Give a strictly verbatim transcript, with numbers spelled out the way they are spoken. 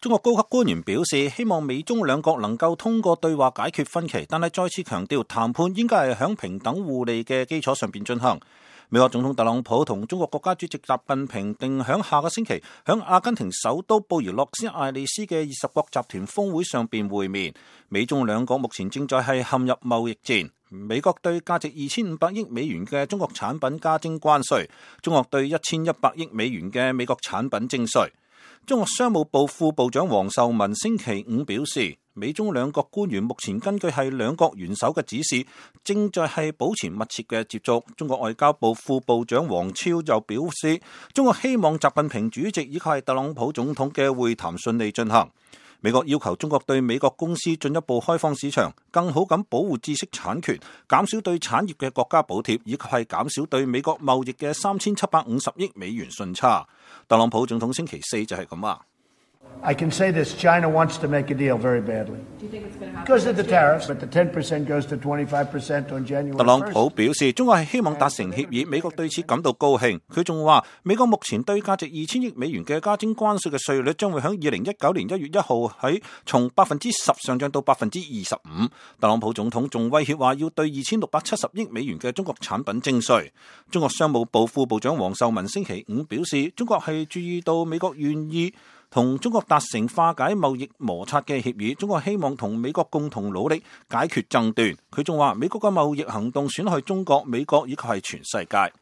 中國高級官員表示，希望美中兩國能夠通過對話解決分歧，但係再次強調談判應該係響平等互利嘅基礎上邊進行。美國總統特朗普同中國國家主席習近平定響下個星期響阿根廷首都布宜諾斯艾利斯嘅二十國集團峰會上邊會面。美中兩國目前正在係陷入貿易戰。美國對價值二千五百億美元嘅中國產品加徵關稅，中國對一千一百億美元嘅美國產品徵稅。中國商務部副部長王受文星期五表示，美中兩國官員目前根據係兩國元首嘅指示，正在係保持密切嘅接觸。中國外交部副部長王超就表示，中國希望習近平主席以及係特朗普總統嘅會談順利進行。美國要求中國對美國公司進一步開放市場，更好咁保護知識產權，減少對產業嘅國家補貼，以及係減少對美國貿易嘅三千七百五十億美元順差。特朗普總統星期四就係咁話。I can say this, China wants to make a deal very badly. Because of the tariffs, but the ten percent goes to twenty-five percent on January first. 特朗普表示，中國係希望達成協議，美國對此感到高興。佢仲話，美國目前對價值二千億美元嘅加徵關稅嘅稅率將會喺二零一九年一月一號喺從百分之十上漲到百分之二十五。特朗普總統仲威脅話要對二千六百七十億美元嘅中國產品徵稅。中國商務部副部長王受文星期五表示，中國係注意到美國願意同中國達成化解貿易摩擦嘅協議，中國希望同美國共同努力解決爭端。佢仲話，美國嘅貿易行動損害中國、美國以及係全世界。